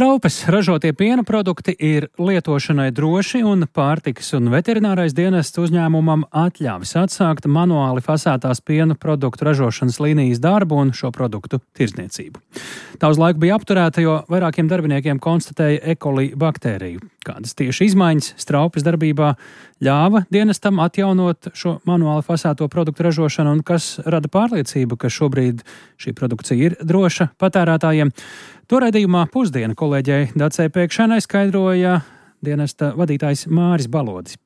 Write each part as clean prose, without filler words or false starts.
Straupes ražotie piena produkti ir lietošanai droši, un pārtikas un veterinārais dienests uzņēmumam atļāvis atsākt manuāli fasētās piena produktu ražošanas līnijas darbu un šo produktu tirdzniecību. Tā uz laiku bija apturēta, jo vairākiem darbiniekiem konstatēja E. coli baktēriju. Kādas tieši izmaiņas Straupes darbībā ļāva dienestam atjaunot šo manuāli fasēto produktu ražošanu un kas rada pārliecību, ka šobrīd šī produkcija ir droša patērētājiem? To raidījumā Pusdiena kolēģei Dacei Pēkšanai skaidroja dienesta vadītājs Māris Balodis.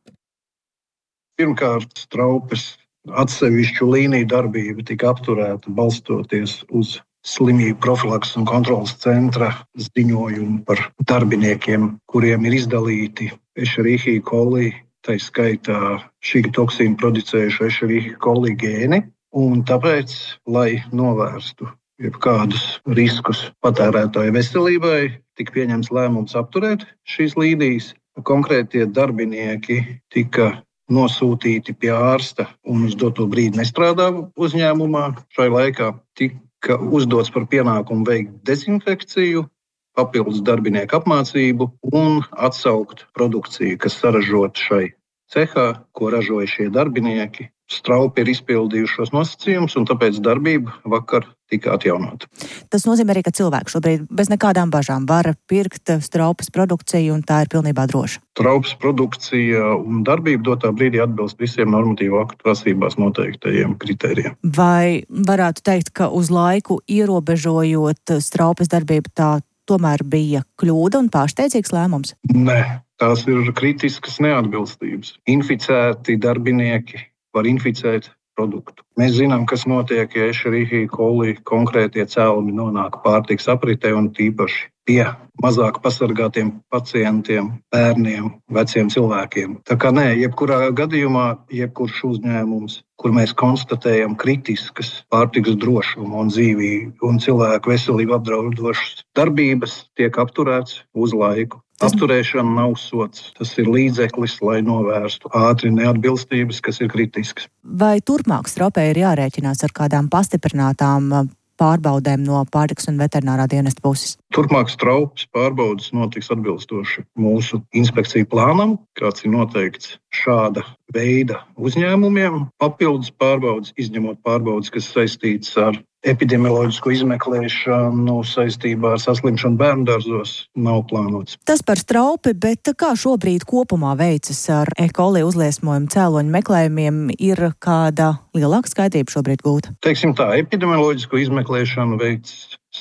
Pirmkārt, Straupes atsevišķu līniju darbība tika apturēta balstoties uz slimību profilakses un kontroles centra ziņojumu par darbiniekiem, kuriem ir izdalīti Escherichia coli, tai skaitā šī toksīna producējuši Escherichia coli gēni, un tāpēc, lai novērstu jebkādus riskus patērētāju veselībai, tika pieņemts lēmums apturēt šīs līnijas. Konkrētie darbinieki tika nosūtīti pie ārsta un uz doto brīdi nestrādā uzņēmumā. Šai laikā tika uzdots par pienākumu veikt dezinfekciju, papildus darbinieku apmācību un atsaukt produkciju, kas saražota šai cehā, ko ražoja šie darbinieki. Straupi ir izpildījuši šos nosacījumus, un tāpēc darbība vakar tika atjaunota. Tas nozīmē arī, ka cilvēki šobrīd bez nekādām bažām var pirkt Straupes produkciju, un tā ir pilnībā droša. Straupes produkcija un darbība dotā brīdī atbilst visiem normatīvu aktu prasībās noteiktajiem kritērijiem. Vai varētu teikt, ka uz laiku ierobežojot Straupes darbību tā tomēr bija kļūda un pārsteidzīgs lēmums? Nē, tās ir kritiskas neatbilstības. Inficēti darbinieki var inficēt produktu. Mēs zinām, kas notiek, ja Escherichia coli konkrētie cēlumi nonāk pārtikas apritē un tīpaši pie mazāk pasargātiem pacientiem, bērniem, veciem cilvēkiem. Tā kā nē, jebkurā gadījumā, jebkurš uzņēmums, kur mēs konstatējam kritiskas pārtikas drošumu un dzīvību un cilvēku veselību apdraudošas darbības, tiek apturēts uz laiku. Apturēšana nav sots. Tas ir līdzeklis, lai novērstu ātri neatbilstības, kas ir kritiskas. Vai turpmāk Straupē ir jārēķinās ar kādām pastiprinātām pārbaudēm no pārtikas un veterinārā dienesta puses? Turpmāk Straupes pārbaudes notiks atbilstoši mūsu inspekciju plānam, kāds ir noteikts šāda veida uzņēmumiem. Papildus pārbaudes, izņemot pārbaudes, kas saistītas ar epidemioloģisko izmeklēšanu saistībā ar saslimšanu bērndārzos, nav plānots. Tas par Straupi, bet kā šobrīd kopumā veicas ar E. coli uzliesmojumu cēloņu meklējumiem? Ir kāda lielāka skaidrība šobrīd gūta? Teiksim tā, epidemioloģisko izmeklēšanu veic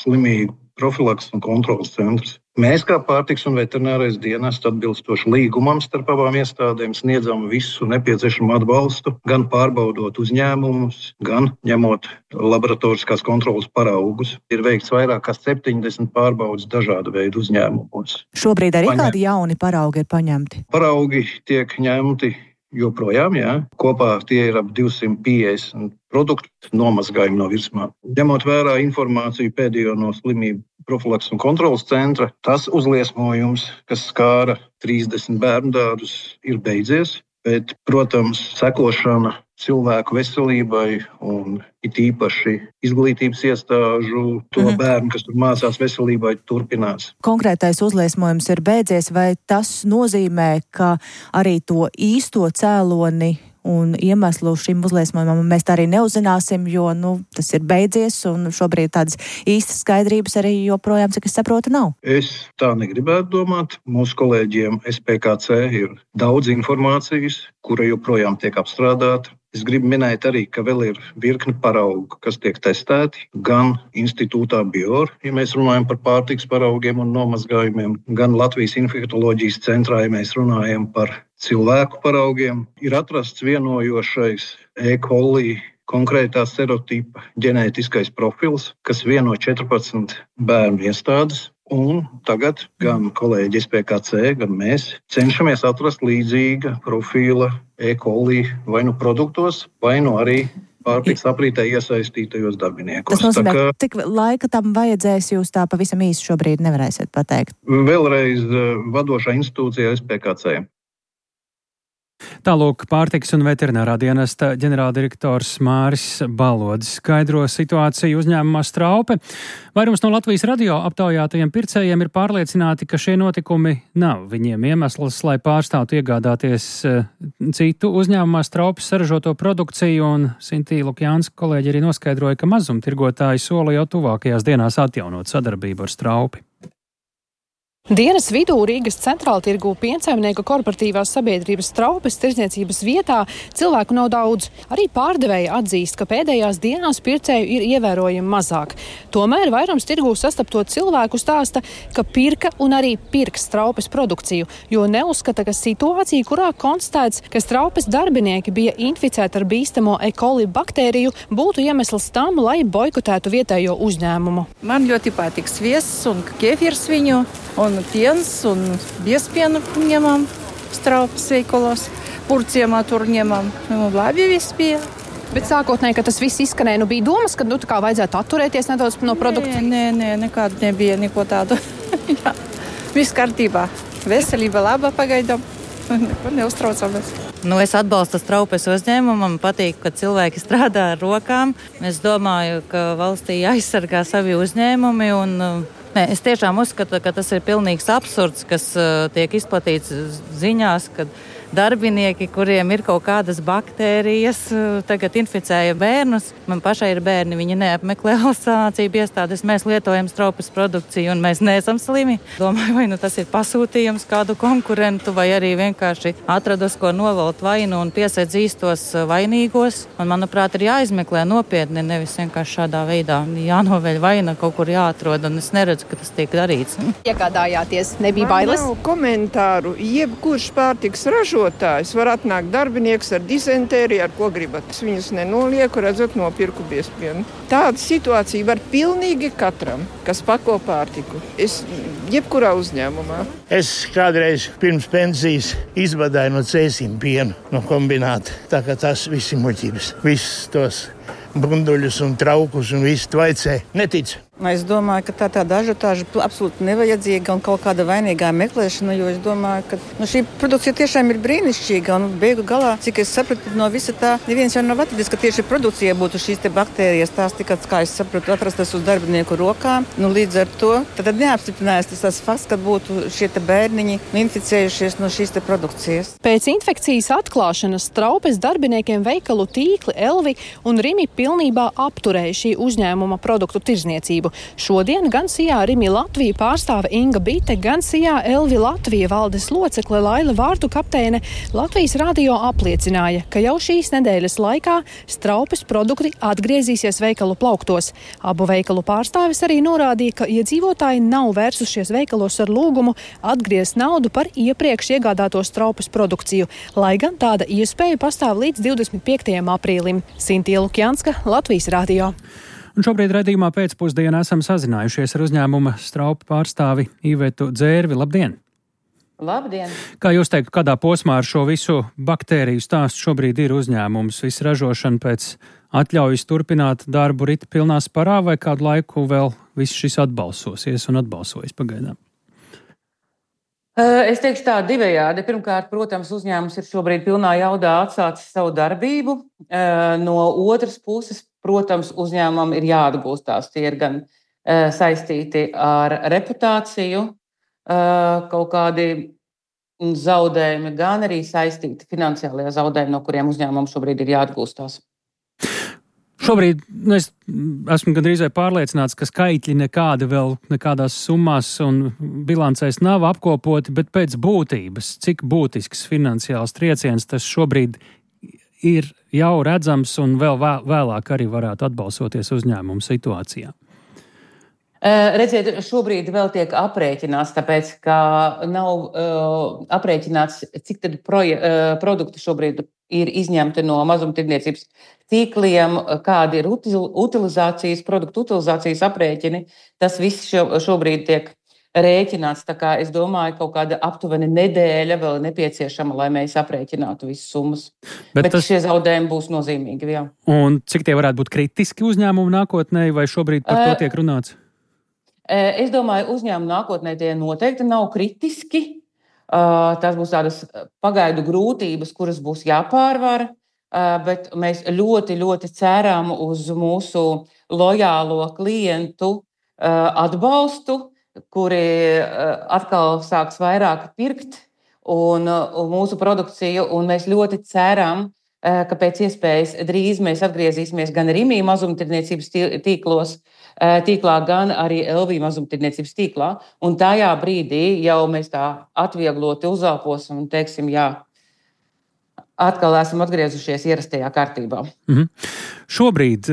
slimību profilakses un kontroles centrs. Mēs, kā pārtikas un veterinārais dienests, atbilstoši līgumam starp abām iestādēm, sniedzam visu nepieciešamo atbalstu, gan pārbaudot uzņēmumus, gan ņemot laboratoriskās kontroles paraugus. Ir veikts vairāk kā 70 pārbaudes dažādu veidu uzņēmumos. Šobrīd arī kādi jauni paraugi ir paņemti? Paraugi tiek ņemti joprojām, jā. Kopā tie ir ap 250 produktu nomazgājumi no virsmām. Ņemot vērā informāciju pēdējo no slimību profilakses un kontroles centra, tas uzliesmojums, kas skāra 30 bērndārzus, ir beidzies, bet, protams, sekošana cilvēku veselībai un it īpaši izglītības iestāžu, to bērnu, kas tur mācās veselībai, turpinās. Konkrētais uzliesmojums ir beidzies, vai tas nozīmē, ka arī to īsto cēloni un iemeslu šim uzliesmojumam mēs tā arī neuzzināsim, jo tas ir beidzies un šobrīd tādas īstas skaidrības arī joprojām, cik es saprotu, nav? Es tā negribētu domāt. Mūsu kolēģiem SPKC ir daudz informācijas, kura joprojām tiek apstrādāta. Es gribu minēt arī, ka vēl ir virkni paraugu, kas tiek testēti gan institūtā BIOR, ja mēs runājam par pārtikas paraugiem un nomazgājumiem, gan Latvijas infektoloģijas centrā, ja mēs runājam par cilvēku paraugiem. Ir atrasts vienojošais E. coli konkrētā serotipa ģenētiskais profils, kas vieno 14 bērnu iestādes. Un tagad gan kolēģi SPKC, gan mēs cenšamies atrast līdzīga profila E. coli vai nu produktos, vai nu arī pārtikas aprītē iesaistītajos darbiniekos. Tas nozīmē, cik laika tam vajadzēs, jūs tā pavisam īsi šobrīd nevarēsiet pateikt? Vēlreiz vadošā institūcijā SPKC. Tālūk pārtikas un veterinārā dienesta ģenerāldirektors Māris Balodis skaidro situāciju uzņēmumā Straupe. Vairums no Latvijas radio aptaujātajiem pircējiem ir pārliecināti, ka šie notikumi nav viņiem iemesls, lai pārstātu iegādāties citu uzņēmumā Straupes saražoto produkciju, un Sintīja Lukjānska kolēģi arī noskaidroja, ka mazumtirgotāji sola jau tuvākajās dienās atjaunot sadarbību ar Straupi. Dienas vidū Rīgas centrāltirgū piensaimnieku korporatīvās sabiedrības Straupes tirdzniecības vietā cilvēku nav daudz. Arī pārdevēji atzīst, ka pēdējās dienās pircēju ir ievērojami mazāk. Tomēr vairums tirgū sastapto cilvēku stāsta, ka pirka un arī pirks Straupes produkciju, jo neuzskata, ka situācija, kurā konstatēts, ka Straupes darbinieki bija inficēti ar bīstamo E. coli baktēriju, būtu iemesls tam, lai boikotētu vietējo uzņēmumu. Man ļoti patīk sviests un kefīrs viņu. Un piens, un biespienu ņemam Straupes veikalos, Purciemā tur ņemam. Labi viss bija. Bet sākotnēji, ka tas viss izskanēja, bija domas, ka kā vajadzētu atturēties nedaudz no produkcijas? Nē, nekādu nebija, neko tādu. Jā, viss kārtībā. Veselība laba pagaidām. Neko neuztraucamies. Es atbalstu Straupes uzņēmumu, man patīk, ka cilvēki strādā ar rokām. Es domāju, ka valstī aizsargā savi uzņēmumi un es tiešām uzskatu, ka tas ir pilnīgs absurds, kas tiek izplatīts ziņās, kad darbinieki, kuriem ir kaut kādas baktērijas, tagad inficēja bērnus. Man pašai ir bērni, viņi neapmeklē valsts sanācību iestādes, mēs lietojam Straupes produkciju un mēs neesam slimi. Domāju, vai tas ir pasūtījums kādu konkurentu, vai arī vienkārši atrados, ko novalt vainu un piesaidz īstos vainīgos. Un, manuprāt, ir jāizmeklē nopietni, nevis vienkārši šādā veidā jānoveļ vaina, kaut kur jāatrod, un es neredzu, ka tas tiek darīts. Iegādājāties, nebija bailes? Man nav komentāru, jebkurš pārtiks ražotājs var atnākt darbinieks ar dizentēriju, ar ko gribat. Es viņus nenolieku, redzot, nopirku biespienu. Tāda situācija var pilnīgi katram, kas pako pārtiku. Jebkurā uzņēmumā. Es kādreiz pirms pensijas izvadāju no cēsīm pienu, no kombināta. Tā kā tas viss ir muļķības. Visus tos bunduļus un traukus un visu tvaicē. Neticu. Es domāju, ka tā tāda ažiotāža absolūti nevajadzīga un kaut kāda vainīgā meklēšana, jo es domāju, ka šī produkcija tiešām ir brīnišķīga un beigu galā, cik es sapratu no visa tā, neviens jau nav atradis, ka tieši produkcija būtu šīs te baktērijas, tās tikai, kā es sapratu, atrastas uz darbinieku rokām. Līdz ar to tad neapstiprinājās tas fakts, ka būtu šie te bērniņi inficējušies no šīs te produkcijas. Pēc infekcijas atklāšanas Straupes darbiniekiem veikalu tīkli Elvi un Rimi pilnībā apturēja šī uzņēmuma produktu tirdzniecību. Šodien gan Sijā Rimi Latvija pārstāve Inga Bite, gan Sijā Elvi Latvija valdes locekle Laila Vārtu kapteine Latvijas radio apliecināja, ka jau šīs nedēļas laikā Straupes produkti atgriezīsies veikalu plauktos. Abu veikalu pārstāvis arī norādīja, ka iedzīvotāji nav vērsušies veikalos ar lūgumu atgriezt naudu par iepriekš iegādāto Straupes produkciju, lai gan tāda iespēja pastāv līdz 25. aprīlim. Sintīja Lukjānska, Latvijas radio. Un šobrīd redzījumā pēcpusdienā esam sazinājušies ar uzņēmuma Straupe pārstāvi Ivetu Dzērvi. Labdien! Labdien! Kā jūs teiktu, kādā posmā ar šo visu baktēriju stāstu šobrīd ir uzņēmums? Visu ražošanu pēc atļaujas turpināt darbu rita pilnā sparā, vai kādu laiku vēl viss šis atbalsosies un atbalsojas pagaidām? Es teikšu tā divējādi. Pirmkārt, protams, uzņēmums ir šobrīd pilnā jaudā atsācis savu darbību. No otras puses, protams, uzņēmumam ir jāatgūstās. Tie ir gan saistīti ar reputāciju, kaut kādi zaudējumi, gan arī saistīti finansiālajā zaudējumi, no kuriem uzņēmumam šobrīd ir jāatgūstās. Šobrīd es esmu gandrīz pārliecināts, ka skaitļi nekādi vēl nekādās summās un bilancēs nav apkopoti, bet pēc būtības, cik būtisks finansiāls trieciens tas šobrīd ir jau redzams un vēl vēlāk arī varētu atbalstoties uzņēmumu situācijā. Redziet, šobrīd vēl tiek aprēķināts, tāpēc, ka nav aprēķināts, cik tad produkti šobrīd ir izņemti no mazumtirdzniecības tīkliem, kādi ir produktu utilizācijas aprēķini. Tas viss šobrīd tiek rēķināts, tā kā es domāju, kaut kāda aptuveni nedēļa vēl nepieciešama, lai mēs aprēķinātu visas summas. Bet šie zaudējumi būs nozīmīgi, jā. Un cik tie varētu būt kritiski uzņēmumu nākotnē, vai šobrīd par to tiek runāts? Es domāju, uzņēmumu nākotnē tie noteikti nav kritiski. Tas būs tādas pagaidu grūtības, kuras būs jāpārvar, bet mēs ļoti, ļoti ceram uz mūsu lojālo klientu atbalstu, kuri atkal sāks vairāk pirkt un mūsu produkciju, un mēs ļoti ceram, ka pēc iespējas drīz mēs atgriezīsimies gan Rimi mazumtirdzniecības tīklā, gan arī LV mazumtirdzniecības tīklā. Un tajā brīdī jau mēs tā atviegloti uzelposim un teiksim, jā, atkal esam atgriezušies ierastajā kārtībā. Šobrīd,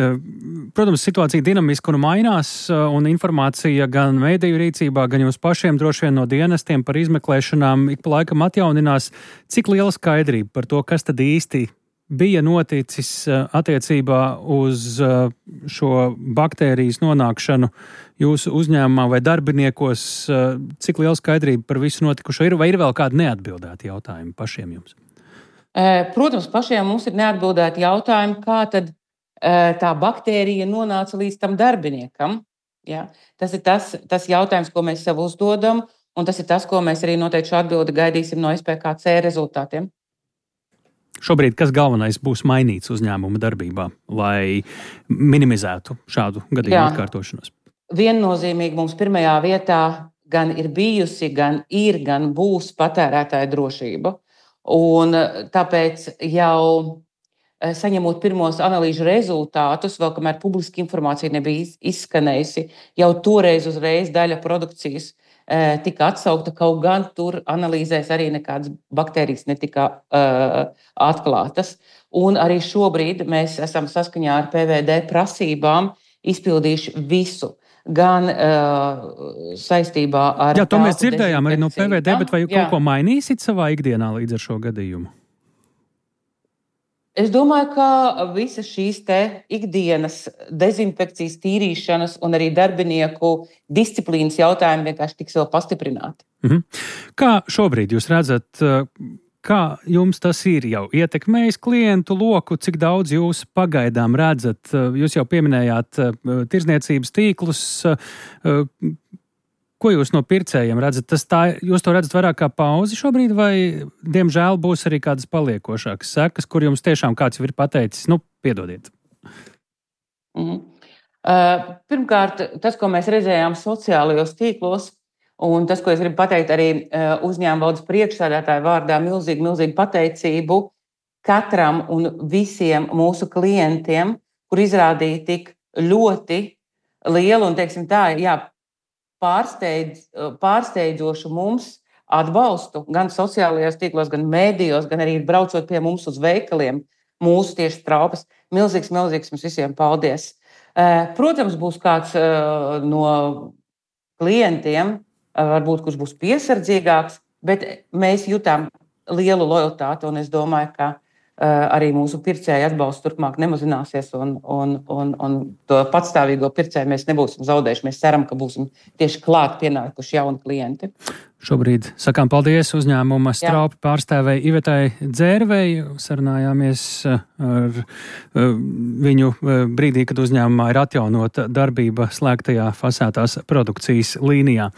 protams, situācija dinamiski un mainās, un informācija gan mediju rīcībā, gan jums pašiem droši vien no dienestiem par izmeklēšanām ik pa laikam atjauninās. Cik liela skaidrība par to, kas tad īsti bija noticis attiecībā uz šo baktērijas nonākšanu jūsu uzņēmumā vai darbiniekos? Cik liela skaidrība par visu notikušo ir, vai ir vēl kādi neatbildēti jautājumi pašiem jums? Protams, pašiem mums ir neatbildēti jautājumi, kā tad tā baktērija nonāca līdz tam darbiniekam. Ja? Tas ir tas jautājums, ko mēs sev uzdodam, un tas ir tas, ko mēs arī noteikti šo atbildi gaidīsim no SPKC rezultātiem. Šobrīd kas galvenais būs mainīts uzņēmuma darbībā, lai minimizētu šādu gadījumu atkārtošanos? Viennozīmīgi mums pirmajā vietā gan ir bijusi, gan būs patērētāja drošība. Un tāpēc jau saņemot pirmos analīžu rezultātus, vēl kamēr publiska informācija nebija izskanējusi, jau toreiz uzreiz daļa produkcijas tika atsaukta, kaut gan tur analīzēs arī nekādas baktērijas netika atklātas. Un arī šobrīd mēs esam saskaņā ar PVD prasībām izpildījuši visu. Gan saistībā ar... Jā, to mēs dzirdējām arī no PVD, bet vai kaut ko mainīsit savā ikdienā līdz ar šo gadījumu? Es domāju, ka visas šīs te ikdienas dezinfekcijas, tīrīšanas un arī darbinieku disciplīnas jautājumi vienkārši tiks vēl pastiprināti. Kā šobrīd jūs redzat, kā jums tas ir jau ietekmējis klientu loku, cik daudz jūs pagaidām redzat? Jūs jau pieminējāt tirdzniecības tīklus. Ko jūs no pircējiem redzat? Jūs to redzat vairāk kā pauzi šobrīd, vai diemžēl būs arī kādas paliekošākas sekas, kur jums tiešām kāds jau ir pateicis, piedodiet? Pirmkārt, tas, ko mēs redzējām sociālajos tīklos, un tas, ko es gribu pateikt arī uzņēmuma valdes priekšsēdētāju vārdā, milzīgu pateicību katram un visiem mūsu klientiem, kur izrādīja tik ļoti lielu un, teiksim tā, pārsteidzošu mums atbalstu gan sociālajos tīklos, gan mēdījos, gan arī braucot pie mums uz veikaliem, mūsu tieši Straupas. Milzīgs mums visiem paldies. Protams, būs kāds no klientiem, varbūt kurš būs piesardzīgāks, bet mēs jutām lielu lojalitāti, un es domāju, ka arī mūsu pircēju atbalsts turpmāk nemazināsies, un to patstāvīgo pircēju mēs nebūsim zaudējuši. Mēs ceram, ka būsim tieši klāt pienākuši jauni klienti. Šobrīd sakām paldies uzņēmuma Straupi pārstāvēji Ivetai Dzērvei. Sarunājāmies ar viņu brīdī, kad uzņēmumā ir atjaunota darbība slēgtajā fasētās produkcijas līnijā.